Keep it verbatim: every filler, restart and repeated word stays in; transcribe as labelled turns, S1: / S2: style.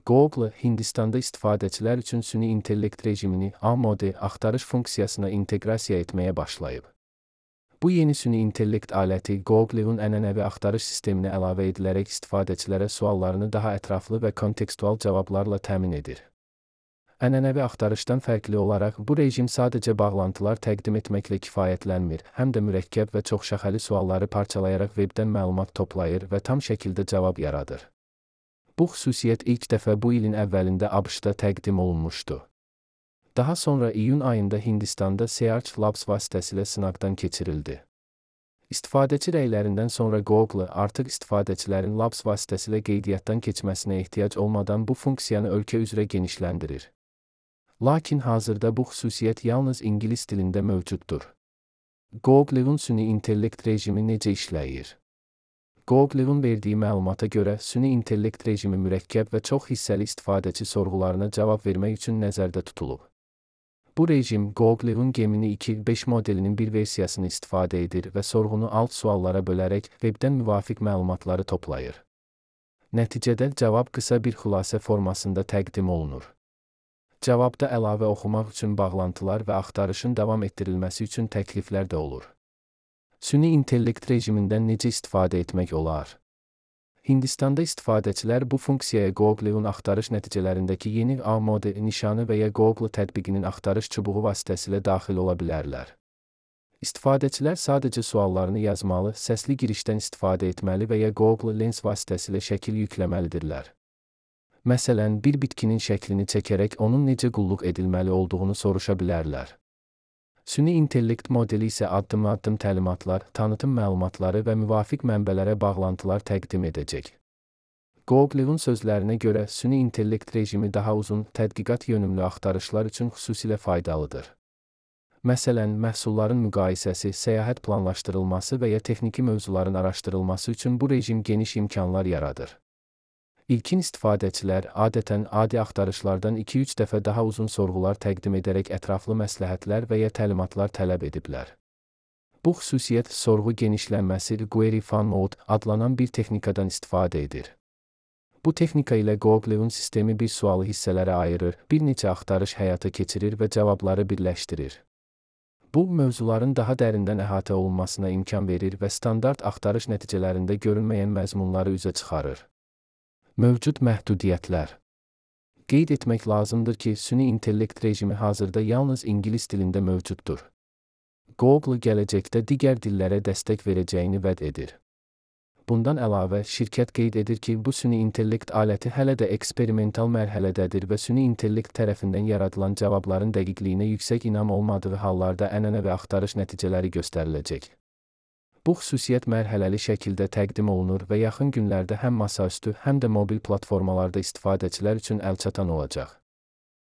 S1: Google, Hindistanda istifadəçilər üçün süni intellekt rejimini A-modi axtarış funksiyasına inteqrasiya etməyə başlayıb. Bu yeni süni intellekt aləti Google'un ənənəvi axtarış sisteminə əlavə edilərək istifadəçilərə suallarını daha ətraflı və kontekstual cavablarla təmin edir. Ənənəvi axtarışdan fərqli olaraq, bu rejim sadəcə bağlantılar təqdim etməklə kifayətlənmir, həm də mürəkkəb və çoxşəxəli sualları parçalayaraq vebdən məlumat toplayır və tam şəkildə cavab yaradır. Bu xüsusiyyət ilk dəfə bu ilin əvvəlində ABŞ-da təqdim olunmuşdu. Daha sonra iyun ayında Hindistanda Search Labs vasitəsilə sınaqdan keçirildi. İstifadəçi rəylərindən sonra Google artıq istifadəçilərin Labs vasitəsilə qeydiyyatdan keçməsinə ehtiyac olmadan bu funksiyanı ölkə üzrə genişləndirir. Lakin hazırda bu xüsusiyyət yalnız ingilis dilində mövcuddur. Google'un süni intellekt rejimi necə işləyir? Google'un verdiyi məlumata görə, süni intellekt rejimi mürəkkəb və çox hissəli istifadəçi sorğularına cavab vermək üçün nəzərdə tutulub. Bu rejim Google'un Gemini iki beş modelinin bir versiyasını istifadə edir və sorğunu alt suallara bölərək webdən müvafiq məlumatları toplayır. Nəticədə cavab qısa bir xülasə formasında təqdim olunur. Cavabda əlavə oxumaq üçün bağlantılar və axtarışın davam etdirilməsi üçün təkliflər də olur. Süni intellekt rejimindən necə istifadə etmək olar? Hindistanda istifadəçilər bu funksiyaya Google'un axtarış nəticələrindəki yeni A-modi nişanı və ya Google tətbiqinin axtarış çubuğu vasitəsilə daxil ola bilərlər. İstifadəçilər sadəcə suallarını yazmalı, səsli girişdən istifadə etməli və ya Google Lens vasitəsilə şəkil yükləməlidirlər. Məsələn, bir bitkinin şəklini çəkərək onun necə qulluq edilməli olduğunu soruşa bilərlər. Süni intellekt modeli isə addım-addım təlimatlar, tanıtım məlumatları və müvafiq mənbələrə bağlantılar təqdim edəcək. Google'un sözlərinə görə, süni intellekt rejimi daha uzun, tədqiqat yönümlü axtarışlar üçün xüsusilə faydalıdır. Məsələn, məhsulların müqayisəsi, səyahət planlaşdırılması və ya texniki mövzuların araşdırılması üçün bu rejim geniş imkanlar yaradır. İlkin istifadəçilər adətən adi axtarışlardan iki üç dəfə daha uzun sorğular təqdim edərək ətraflı məsləhətlər və ya təlimatlar tələb ediblər. Bu xüsusiyyət sorğu genişlənməsi Query Fan Mode adlanan bir texnikadan istifadə edir. Bu texnika ilə Google'un sistemi bir sualı hissələrə ayırır, bir neçə axtarış həyata keçirir və cavabları birləşdirir. Bu, mövzuların daha dərindən əhatə olunmasına imkan verir və standart axtarış nəticələrində görünməyən məzmunları üzə çıxarır. Mövcud məhdudiyyətlər. Qeyd etmək lazımdır ki, süni intellekt rejimi hazırda yalnız ingilis dilində mövcuddur. Google gələcəkdə digər dillərə dəstək verəcəyini vəd edir. Bundan əlavə, şirkət qeyd edir ki, bu süni intellekt aləti hələ də eksperimental mərhələdədir və süni intellekt tərəfindən yaradılan cavabların dəqiqliyinə yüksək inam olmadığı hallarda ənənəvi axtarış nəticələri göstəriləcək. Bu xüsusiyyət mərhələli şəkildə təqdim olunur və yaxın günlərdə həm masaüstü, həm də mobil platformalarda istifadəçilər üçün əlçatan olacaq.